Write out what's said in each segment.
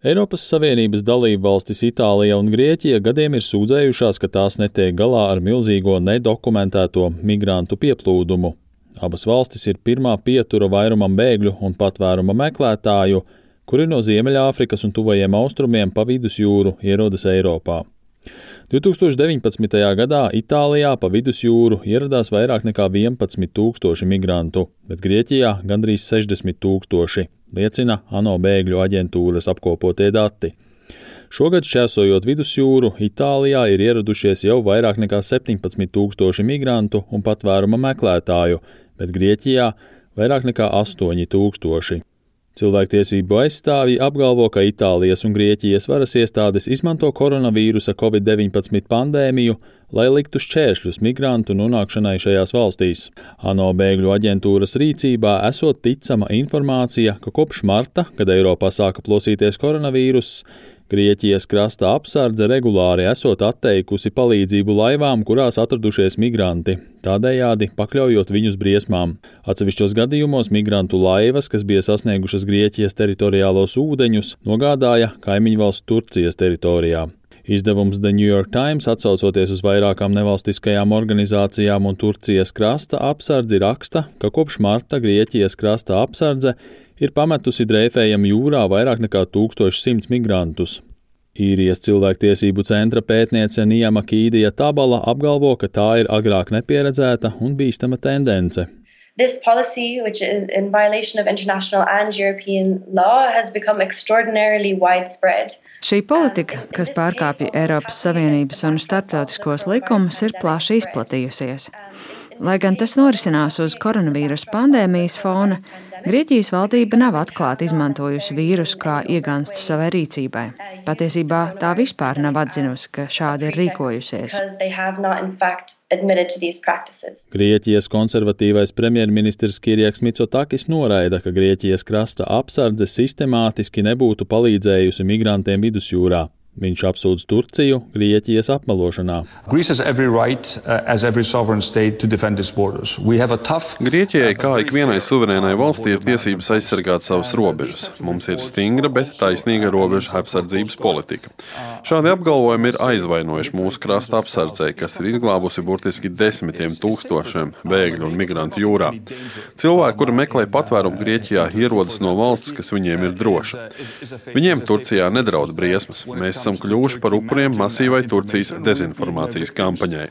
Eiropas Savienības dalībvalstis Itālija un Grieķija gadiem ir sūdzējušās, ka tās netiek galā ar milzīgo nedokumentēto migrantu pieplūdumu. Abas valstis ir pirmā pietura vairumam bēgļu un patvēruma meklētāju, kuri no Ziemeļāfrikas un tuvajiem austrumiem pa vidusjūru ierodas Eiropā. 2019. gadā Itālijā pa vidusjūru ieradās vairāk nekā 11 000 migrantu, bet Grieķijā gandrīz 60 000, liecina ANO bēgļu aģentūras apkopotie dati. Šogad šķērsojot vidusjūru, Itālijā ir ieradušies jau vairāk nekā 17 000 migrantu un patvēruma meklētāju, bet Grieķijā vairāk nekā 8 000. Cilvēktiesību aizstāvji apgalvo, ka Itālijas un Grieķijas varas iestādes izmanto koronavīrusa COVID-19 pandēmiju, lai liktu šķēršļus migrantu nonākšanai šajās valstīs. ANO bēgļu aģentūras rīcībā esot ticama informācija, ka kopš marta, kad Eiropā sāka plosīties koronavīruss, Grieķijas krasta apsardze regulāri esot atteikusi palīdzību laivām, kurās atradušies migranti, tādējādi pakļaujot viņus briesmām. Atsevišķos gadījumos migrantu laivas, kas bija sasniegušas Grieķijas teritoriālos ūdeņus, nogādāja kaimiņvalsts Turcijas teritorijā. Izdevums The New York Times, atsaucoties uz vairākām nevalstiskajām organizācijām un Turcijas krasta apsardzi, raksta, ka kopš marta Grieķijas krasta apsardze ir pametusi dreifējam jūrā vairāk nekā 1100 migrantus. Īrijas cilvēktiesību centra pētniece Nijama Kīdija Tabala apgalvo, ka tā ir agrāk nepieredzēta un bīstama tendence. This policy, which is in violation of international and European law, has become extraordinarily widespread. Šī politika, kas pārkāpja Eiropas Savienības un starptautiskos likumus, ir plaši izplatījusies. Lai gan tas norisinās uz koronavīrusa pandēmijas fona, Grieķijas valdība nav atklāti izmantojusi vīrusu kā iegānstu savai rīcībai. Patiesībā tā vispār nav atzinusi, ka šādi ir rīkojusies. Grieķijas konservatīvais premjerministrs Kyriaks Mitsotakis noraida, ka Grieķijas krasta apsardze sistemātiski nebūtu palīdzējusi migrantiem vidusjūrā. Viņš apsūdz Turciju Grieķijas apmelošanā. Grieķijai, kā ikvienai suverēnai valstī, ir tiesības aizsargāt savas robežas. Mums ir stingra, bet taisnīga robežu apsardzības politika. Šādi apgalvojumi ir aizvainojuši mūsu krasta apsardzei, kas ir izglābusi burtiski 10 000 bēgļu un migrantu jūrā. Cilvēki, kuri meklē patvērumu Grieķijā, ierodas no valsts, kas viņiem ir droša. Viņiem Turcijā nedraud briesmas. Mēs esam kļuvuši par upuriem masīvai Turcijas dezinformācijas kampaņai.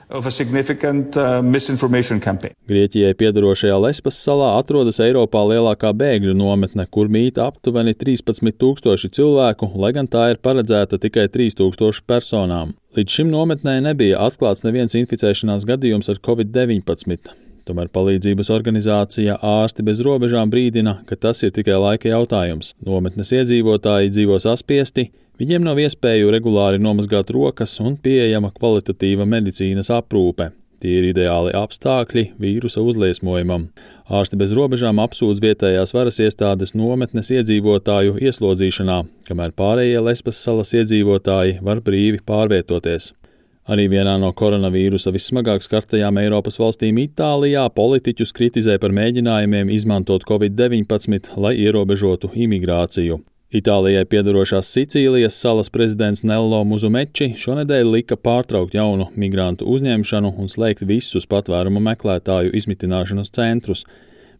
Grieķijai piedarošajā Lesbas salā atrodas Eiropā lielākā bēgļu nometne, kur mīt aptuveni 13 000 cilvēku, lai gan tā ir paredzēta tikai 3000 personām. Līdz šim nometnē nebija atklāts neviens inficēšanās gadījums ar COVID-19. Tomēr palīdzības organizācija Ārsti bez robežām brīdina, ka tas ir tikai laika jautājums. Nometnes iedzīvotāji dzīvo saspiesti, viņiem nav iespēju regulāri nomazgāt rokas un pieejama kvalitatīva medicīnas aprūpe. Tie ir ideāli apstākļi vīrusa uzliesmojumam. Ārsti bez robežām apsūdz vietējās varas iestādes nometnes iedzīvotāju ieslodzīšanā, kamēr pārējie Lesbas salas iedzīvotāji var brīvi pārvietoties. Arī vienā no koronavīrusa vissmagāk skartajām Eiropas valstīm Itālijā politiķus kritizē par mēģinājumiem izmantot COVID-19, lai ierobežotu imigrāciju. Itālijai piedarošās Sicīlijas salas prezidents Nello Muzumeči šonedēļ lika pārtraukt jaunu migrantu uzņemšanu un slēgt visus patvērumu meklētāju izmitināšanas centrus,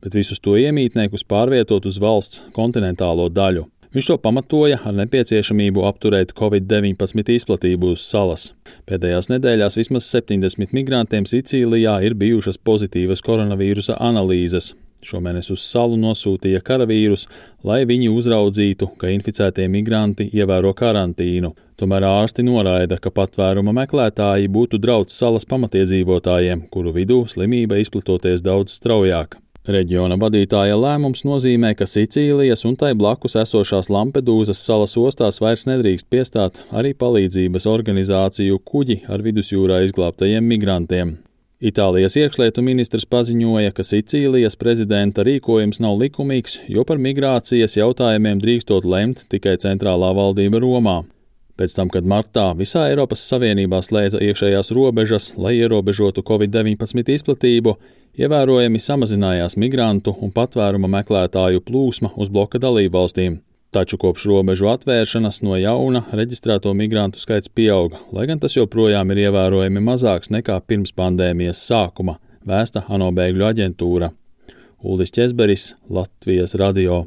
bet visus to iemītniekus pārvietot uz valsts kontinentālo daļu. Viņš to pamatoja ar nepieciešamību apturēt COVID-19 izplatību uz salas. Pēdējās nedēļās vismaz 70 migrantiem Sicīlijā ir bijušas pozitīvas koronavīrusa analīzes. Šomēnes uz salu nosūtīja karavīrus, lai viņi uzraudzītu, ka inficētie migranti ievēro karantīnu. Tomēr ārsti noraida, ka patvēruma meklētāji būtu draudz salas pamatiedzīvotājiem, kuru vidū slimība izplatoties daudz straujāk. Reģiona vadītāja lēmums nozīmē, ka Sicīlijas un tai blakus esošās Lampedūzas salas ostās vairs nedrīkst piestāt arī palīdzības organizāciju kuģi ar vidusjūrā izglābtajiem migrantiem. Itālijas iekšlietu ministrs paziņoja, ka Sicīlijas prezidenta rīkojums nav likumīgs, jo par migrācijas jautājumiem drīkstot lemt tikai centrālā valdība Romā. Pēc tam, kad martā visā Eiropas Savienībā slēdza iekšējās robežas, lai ierobežotu COVID-19 izplatību, ievērojami samazinājās migrantu un patvēruma meklētāju plūsma uz bloka dalībvalstīm. Taču kopš robežu atvēršanas no jauna reģistrēto migrantu skaits pieauga, lai gan tas joprojām ir ievērojami mazāks nekā pirms pandēmijas sākuma, vēsta ANO bēgļu aģentūra. Uldis Ķezberis, Latvijas radio.